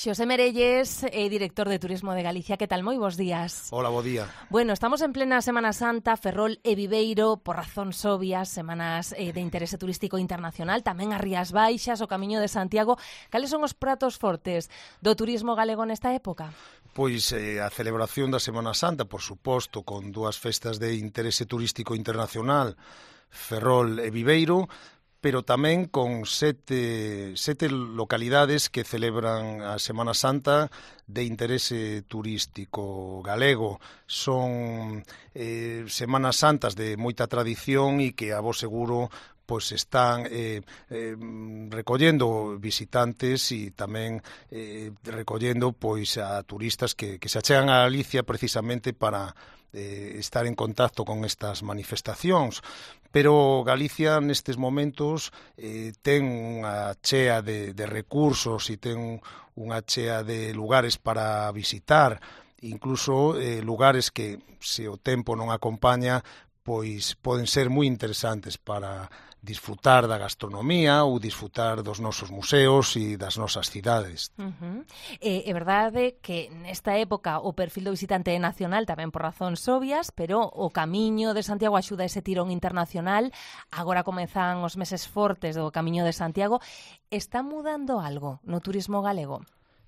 Xosé Merelles, director de Turismo de Galicia. Que tal? Moi bons días. Hola, bo día. Bueno, estamos en plena Semana Santa, Ferrol e Viveiro, por razóns obvias, semanas de interese turístico internacional, tamén as Rías Baixas, o Camiño de Santiago. Cales son os pratos fortes do turismo galego nesta época? Pois a celebración da Semana Santa, por suposto, con dúas festas de interese turístico internacional, Ferrol e Viveiro, pero tamén con sete localidades que celebran a Semana Santa de interese turístico galego. Son Semanas Santas de moita tradición e que, a vos seguro, pois están recollendo visitantes e tamén recollendo pois a turistas que se achegan a Galicia precisamente para estar en contacto con estas manifestacións. Pero Galicia nestes momentos ten unha chea de recursos e ten unha chea de lugares para visitar, incluso lugares que, se o tempo non acompaña, pois poden ser moi interesantes para disfrutar da gastronomía ou disfrutar dos nosos museos e das nosas cidades. É verdade que nesta época o perfil do visitante é nacional, tamén por razóns obvias, pero o Camiño de Santiago axuda ese tirón internacional. Agora comezan os meses fortes do Camiño de Santiago. Está mudando algo no turismo galego?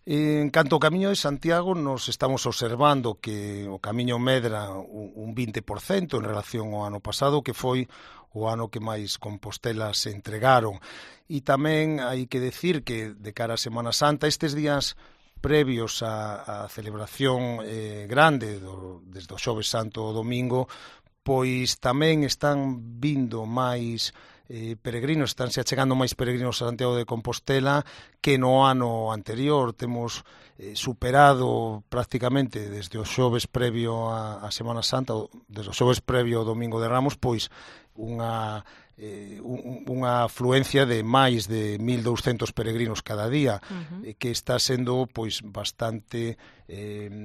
En canto ao Camiño de Santiago, nos estamos observando que o Camiño medra un 20% en relación ao ano pasado, que foi o ano que máis compostelas se entregaron. E tamén hai que decir que, de cara a Semana Santa, estes días previos á celebración grande, desde o Xoves Santo ao domingo, pois tamén están vindo máis peregrinos, estánse achegando máis peregrinos a Santiago de Compostela que no ano anterior. Temos superado prácticamente desde o xoves previo a Semana Santa, desde o xoves previo ao Domingo de Ramos, pois unha afluencia de máis de 1.200 peregrinos cada día, que está sendo pois bastante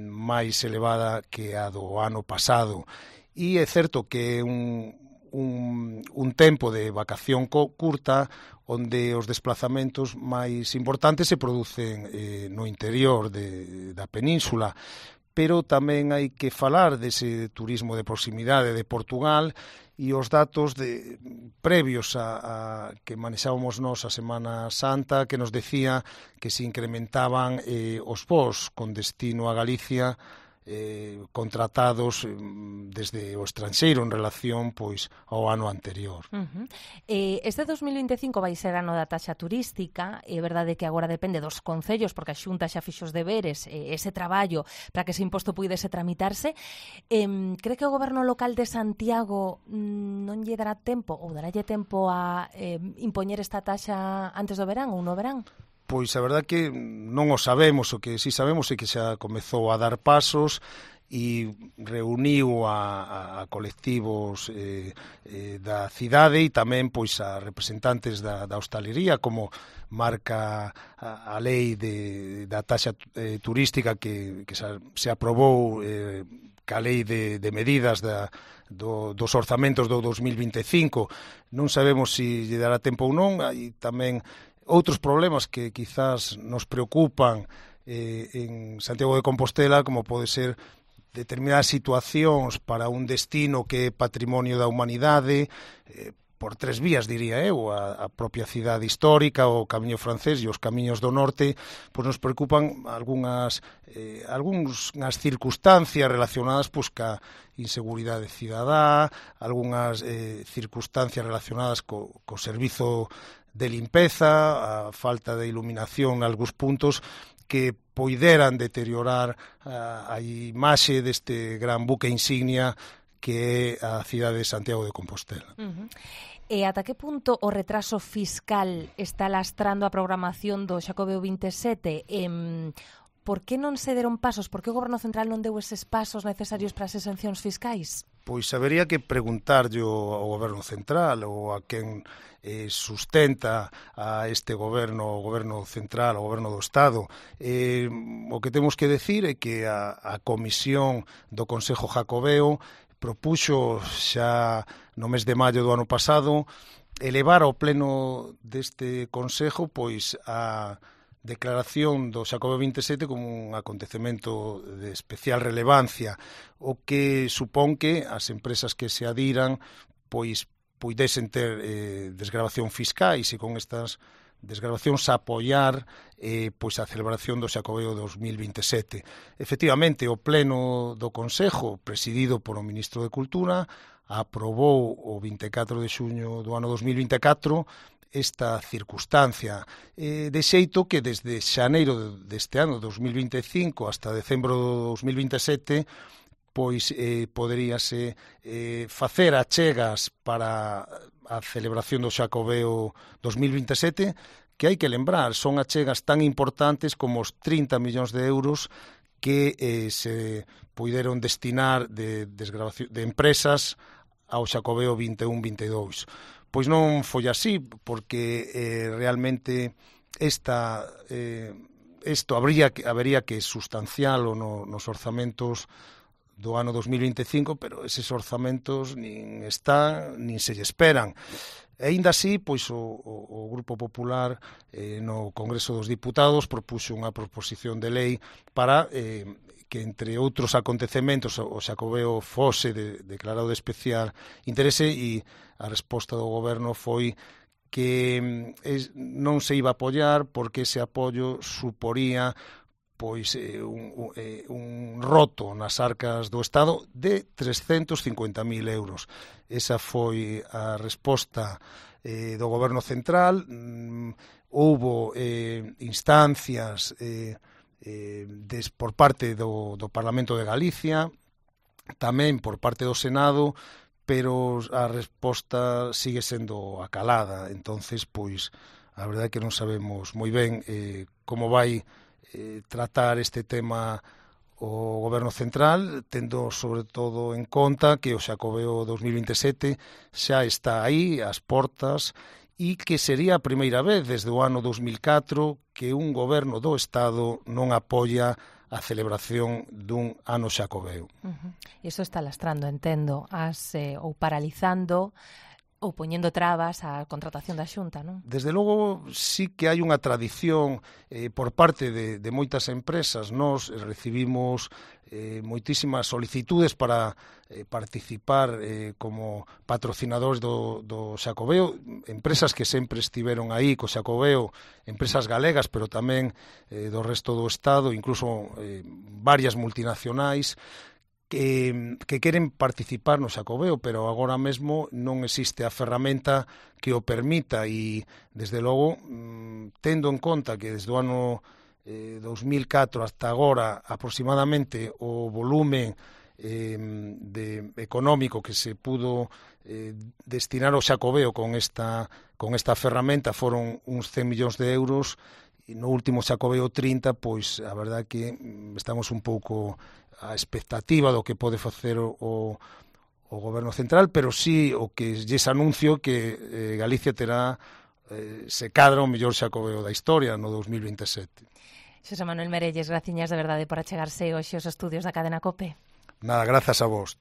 máis elevada que a do ano pasado. E é certo que é un tempo de vacación curta onde os desplazamentos máis importantes se producen no interior da península, pero tamén hai que falar dese turismo de proximidade de Portugal e os datos previos a que manexábamos nós a Semana Santa, que nos decía que se incrementaban os voos con destino a Galicia contratados desde o estranxeiro en relación pois ao ano anterior. Este 2025 vai ser ano da taxa turística. É verdade que agora depende dos concellos, porque a Xunta xa fixo os deberes, ese traballo para que ese imposto puidese tramitarse. Cree que o goberno local de Santiago non lle dará tempo, ou daralle tempo a impoñer esta taxa antes do verán ou no verán? Pois a verdade que non o sabemos, o que si sabemos é que xa comezou a dar pasos e reuniu a colectivos da cidade e tamén pois a representantes da hostalería, como marca a lei da taxa turística que se aprobou ca lei de medidas dos orzamentos do 2025. Non sabemos se lle dará tempo ou non. Hai tamén outros problemas que quizás nos preocupan en Santiago de Compostela, como pode ser determinadas situacións para un destino que é patrimonio da humanidade, por tres vías, diría eu, a propia cidade histórica, o Camiño francés e os camiños do norte, pois nos preocupan algunhas circunstancias relacionadas pois ca inseguridade cidadá, algunhas circunstancias relacionadas co servizo de limpeza, a falta de iluminación en algúns puntos que poideran deteriorar a imaxe deste gran buque insignia que é a cidade de Santiago de Compostela. E ata que punto o retraso fiscal está lastrando a programación do Xacobeo 27? Por que non se deron pasos? Por que o Goberno Central non deu eses pasos necesarios para as exencións fiscais? Pois habería que preguntarlle ao Goberno Central ou a quen sustenta a este goberno, o Goberno Central, o Goberno do Estado. O que temos que decir é que a Comisión do Consello Xacobeo propuxo xa no mes de maio do ano pasado elevar ao pleno deste Consello pois a declaración do Xacobeo 27 como un acontecemento de especial relevancia, o que supón que as empresas que se adiran pois puidesen ter desgravación fiscais e con estas desgravacións apoiar pois a celebración do Xacobeo 2027. Efectivamente, o Pleno do Concejo, presidido por o Ministro de Cultura, aprobou o 24 de xuño do ano 2024 esta circunstancia, de xeito que desde xaneiro deste ano 2025 hasta decembro do 2027 pois poderíase facer achegas para a celebración do Xacobeo 2027, que hai que lembrar, son achegas tan importantes como os 30 millóns de euros que se puideron destinar de empresas ao Xacobeo 21-22. Pois non foi así, porque realmente isto habería que sustancialo nos orzamentos do ano 2025, pero eses orzamentos nin están, nin se lle esperan. E aínda así, pois o Grupo Popular no Congreso dos Diputados propuxo unha proposición de lei para que, entre outros acontecementos, o Xacobeo fose declarado de especial interese, e a resposta do Goberno foi que non se iba a apoiar porque ese apoio suporía pois un roto nas arcas do Estado de 350.000 euros. Esa foi a resposta do Goberno Central. Houbo instancias por parte do Parlamento de Galicia, tamén por parte do Senado, pero a resposta sigue sendo acalada. Entonces, pois, a verdade é que non sabemos moi ben como vai tratar este tema o Goberno Central, tendo sobre todo en conta que o Xacobeo 2027 xa está aí, ás portas, e que sería a primeira vez desde o ano 2004 que un goberno do Estado non apoia a celebración dun ano Xacobeo. Iso está lastrando, entendo, ou paralizando ou poñendo trabas á contratación da Xunta, non? Desde logo, sí que hai unha tradición por parte de moitas empresas. Nós recibimos moitísimas solicitudes para participar como patrocinadores do Xacobeo, empresas que sempre estiveron aí co Xacobeo, empresas galegas, pero tamén do resto do Estado, incluso varias multinacionais, que queren participar no Xacobeo, pero agora mesmo non existe a ferramenta que o permita, e, desde logo, tendo en conta que desde o ano 2004 hasta agora aproximadamente o volume económico que se pudo destinar ao Xacobeo con esta ferramenta foron uns 100 millóns de euros, e no último Xacobeo 30, pois a verdade que estamos un pouco a expectativa do que pode facer o Goberno Central, pero sí o que lles anuncio que Galicia terá, se cadra, o mellor Xacobeo da historia no 2027. Xosé Manuel Merelles, graciñas de verdade por achegarse hoxe aos estudios da cadena COPE. Nada, grazas a vos.